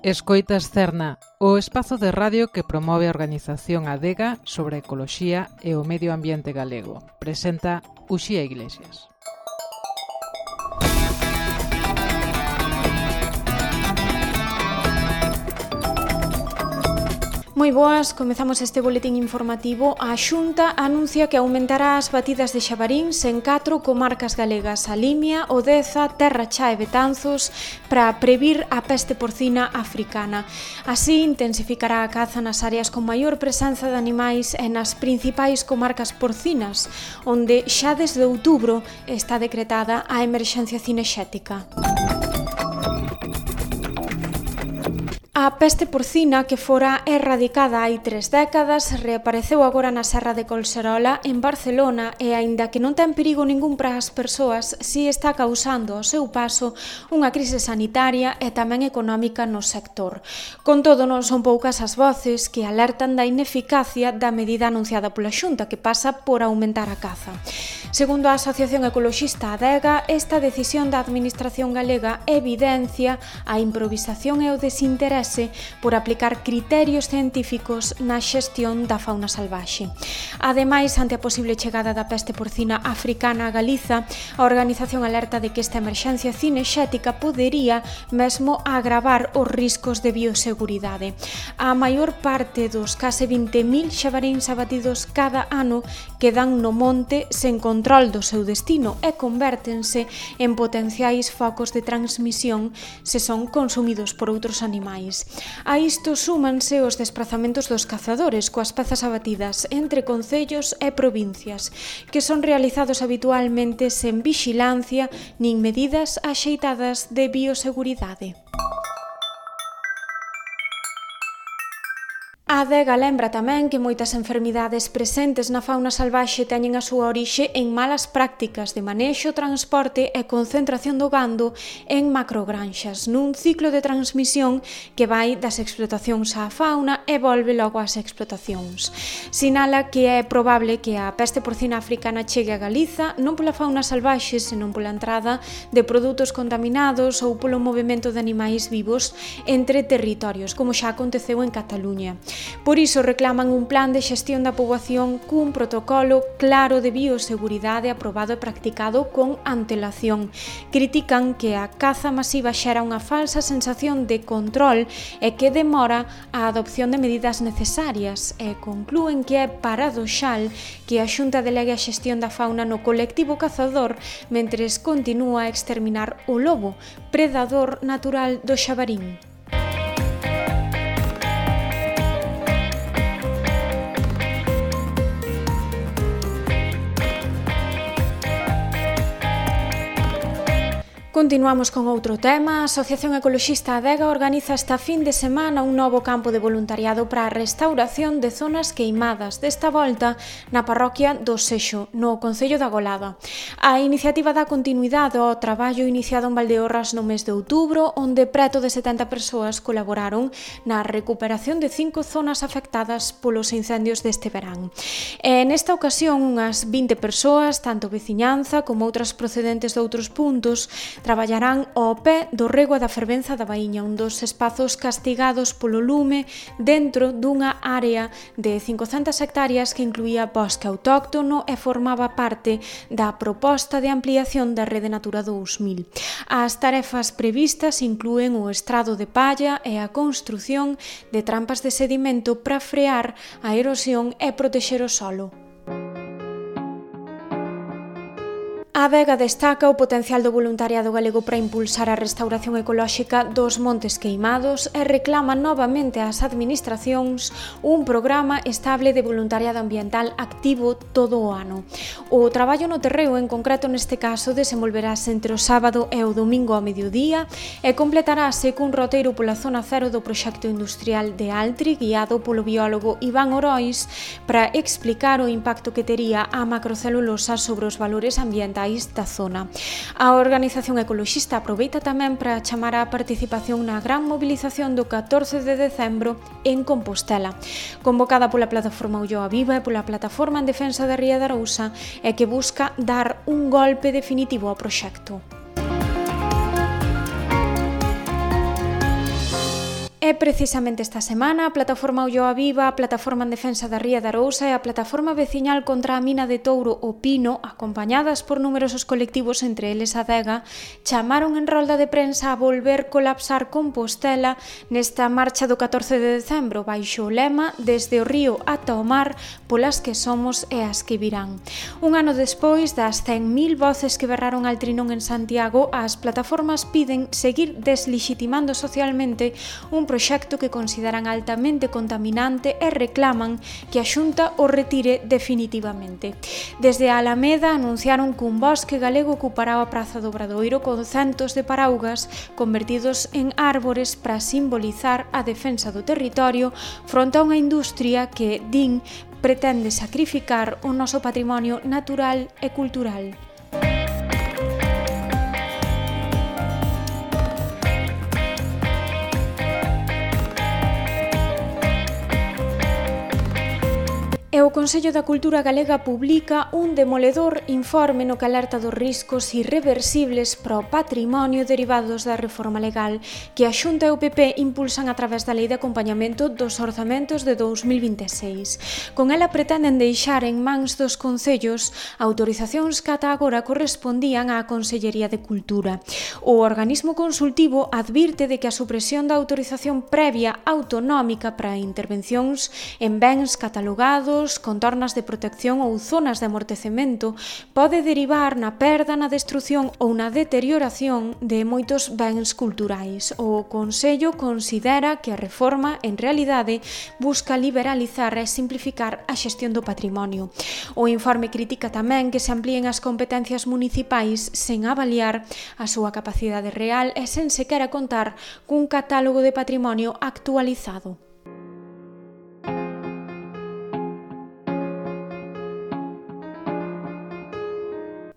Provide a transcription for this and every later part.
Escoitas Cerna, o espazo de radio que promove a organización Adega sobre a ecoloxía e o medio ambiente galego. Presenta Uxía Iglesias. Moi boas, comezamos este boletín informativo. A Xunta anuncia que aumentará as batidas de xabaríns en 4 comarcas galegas: a Limia, o Deza, Terra Cha e Betanzos, para previr a peste porcina africana. Así, intensificará a caza nas áreas con maior presenza de animais e nas principais comarcas porcinas, onde xa desde outubro está decretada a emerxencia cinexética. A peste porcina, que fora erradicada hai 3 décadas, reapareceu agora na Serra de Colserola, en Barcelona, e aínda que non ten perigo ningún para as persoas, si está causando ao seu paso unha crise sanitaria e tamén económica no sector. Con todo, non son poucas as voces que alertan da ineficacia da medida anunciada pola Xunta, que pasa por aumentar a caza. Segundo a Asociación Ecoloxista Adega, esta decisión da Administración galega evidencia a improvisación e o desinterese por aplicar criterios científicos na xestión da fauna salvaxe. Ademais, ante a posible chegada da peste porcina africana a Galiza, a organización alerta de que esta emerxencia cinexética podería mesmo agravar os riscos de bioseguridade. A maior parte dos case 20.000 xabaríns abatidos cada ano quedan no monte sen control do seu destino e convértense en potenciais focos de transmisión se son consumidos por outros animais. A isto súmanse os desprazamentos dos cazadores coas pezas abatidas entre concellos e provincias, que son realizados habitualmente sen vixilancia nin medidas axeitadas de bioseguridade. A Adega lembra tamén que moitas enfermidades presentes na fauna salvaxe teñen a súa orixe en malas prácticas de manexo, transporte e concentración do gando en macrogranxas, nun ciclo de transmisión que vai das explotacións á fauna e volve logo ás explotacións. Sinala que é probable que a peste porcina africana chegue a Galiza non pola fauna salvaxe, senón pola entrada de produtos contaminados ou polo movimento de animais vivos entre territorios, como xa aconteceu en Cataluña. Por iso reclaman un plan de xestión da poboación cun protocolo claro de bioseguridade aprobado e practicado con antelación. Critican que a caza masiva xera unha falsa sensación de control e que demora a adopción de medidas necesarias e conclúen que é paradoxal que a Xunta delegue a xestión da fauna no colectivo cazador mentres continúa a exterminar o lobo, predador natural do xabarín. Continuamos con outro tema. A Asociación Ecoloxista Adega organiza esta fin de semana un novo campo de voluntariado para a restauración de zonas queimadas, desta volta na parroquia do Sexo, no concello da Golada. A iniciativa dá continuidade ao traballo iniciado en Valdeorras no mes de outubro, onde preto de 70 persoas colaboraron na recuperación de 5 zonas afectadas polos incendios deste verán. E nesta ocasión, unhas 20 persoas, tanto veciñanza como outras procedentes de outros puntos, traballarán ao pé do rego e da fervenza da Baíña, un dos espazos castigados polo lume dentro dunha área de 500 hectáreas que incluía bosque autóctono e formaba parte da proposta de ampliación da Rede Natura 2000. As tarefas previstas inclúen o estrado de palla e a construción de trampas de sedimento para frear a erosión e protexer o solo. A Adega destaca o potencial do voluntariado galego para impulsar a restauración ecolóxica dos montes queimados e reclama novamente ás administracións un programa estable de voluntariado ambiental activo todo o ano. O traballo no terreo, en concreto neste caso, desenvolverase entre o sábado e o domingo ao mediodía e completarase cun roteiro pola zona cero do proxecto industrial de Altri, guiado polo biólogo Iván Orois, para explicar o impacto que tería a macrocelulosa sobre os valores ambientais da zona. A organización ecoloxista aproveita tamén para chamar á participación na gran mobilización do 14 de decembro en Compostela, convocada pola plataforma Ulloa Viva e pola plataforma en defensa da Ría de Arousa e que busca dar un golpe definitivo ao proxecto. E precisamente esta semana a Plataforma Ulloa Viva, a Plataforma en Defensa da Ría de Arousa e a Plataforma Veciñal contra a Mina de Touro o Pino, acompañadas por numerosos colectivos, entre eles a Adega, chamaron en rolda de prensa a volver colapsar Compostela nesta marcha do 14 de decembro, baixo o lema "Desde o río ata o mar, polas que somos e as que virán". Un ano despois das 100.000 voces que berraron al trinón en Santiago, as plataformas piden seguir deslegitimando socialmente un proxecto que consideran altamente contaminante e reclaman que a Xunta o retire definitivamente. Desde a Alameda anunciaron que un bosque galego ocupará a Praza do Obradoiro con centos de paraugas convertidos en árbores para simbolizar a defensa do territorio fronte a unha industria que, din, pretende sacrificar o noso patrimonio natural e cultural. E o Consello da Cultura Galega publica un demoledor informe no que alerta dos riscos irreversibles para o patrimonio derivados da reforma legal que a Xunta e o PP impulsan a través da Lei de Acompañamento dos Orzamentos de 2026. Con ela pretenden deixar en mans dos concellos autorizacións que ata agora correspondían á Consellería de Cultura. O organismo consultivo advirte de que a supresión da autorización previa autonómica para intervencións en bens catalogados, contornas de protección ou zonas de amortecemento pode derivar na perda, na destrución ou na deterioración de moitos bens culturais. O Consello considera que a reforma, en realidade, busca liberalizar e simplificar a xestión do patrimonio. O informe critica tamén que se amplíen as competencias municipais sen avaliar a súa capacidade real e sen sequera contar cun catálogo de patrimonio actualizado.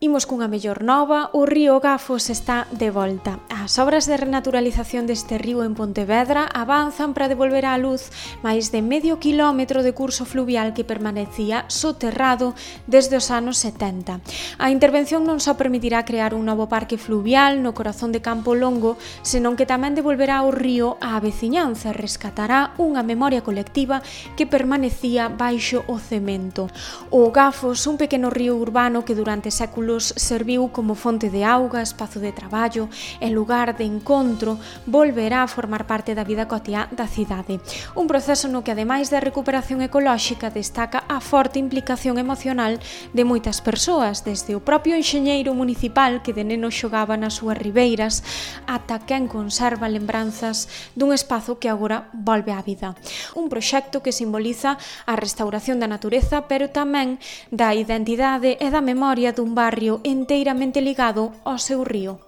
Imos cunha mellor nova, o río Gafos está de volta. As obras de renaturalización deste río en Pontevedra avanzan para devolver á luz máis de medio quilómetro de curso fluvial que permanecía soterrado desde os anos 70. A intervención non só permitirá crear un novo parque fluvial no corazón de Campo Longo, senón que tamén devolverá o río á veciñanza e rescatará unha memoria colectiva que permanecía baixo o cemento. O Gafos, un pequeno río urbano que durante séculos serviu como fonte de auga, espazo de traballo e lugar de encontro, volverá a formar parte da vida cotiá da cidade. Un proceso no que, ademais da recuperación ecolóxica, destaca a forte implicación emocional de moitas persoas, desde o propio enxeñeiro municipal que de neno xogaba nas súas ribeiras, ata quen conserva lembranzas dun espazo que agora volve á vida. Un proxecto que simboliza a restauración da natureza, pero tamén da identidade e da memoria dun barrio enteiramente ligado ao seu río.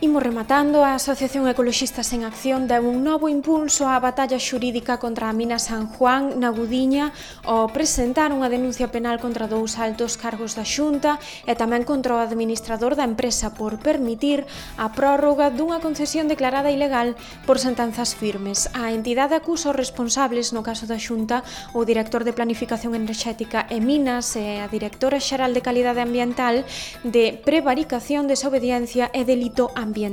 Imos rematando, a Asociación Ecoloxistas en Acción deu un novo impulso á batalla xurídica contra a mina San Juan na Gudiña ao presentar unha denuncia penal contra dous altos cargos da Xunta e tamén contra o administrador da empresa por permitir a prórroga dunha concesión declarada ilegal por sentenzas firmes. A entidade acusa os responsables, no caso da Xunta, o director de Planificación Enerxética e Minas e a directora xeral de Calidade Ambiental, de prevaricación, desobediencia e delito ambiental.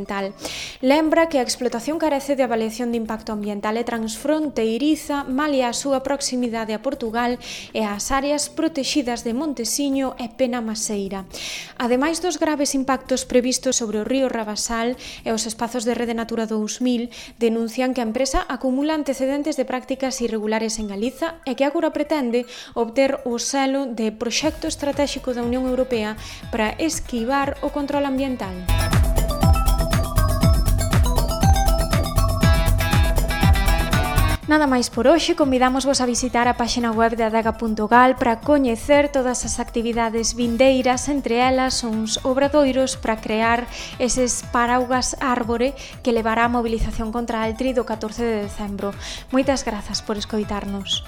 Lembra que a explotación carece de avaliación de impacto ambiental e transfronteiriza, malia a súa proximidade a Portugal e ás áreas protexidas de Montesiño e Penamaseira. Ademais dos graves impactos previstos sobre o río Rabasal e os espazos de Rede Natura 2000, denuncian que a empresa acumula antecedentes de prácticas irregulares en Galiza e que agora pretende obter o selo de Proxecto Estratéxico da Unión Europea para esquivar o control ambiental. Nada máis por hoxe, convidamos-vos a visitar a páxina web de adega.gal para coñecer todas as actividades vindeiras, entre elas uns obradoiros para crear eses paraugas árbore que levará a mobilización contra a Altri do 14 de decembro. Moitas grazas por escoitarnos.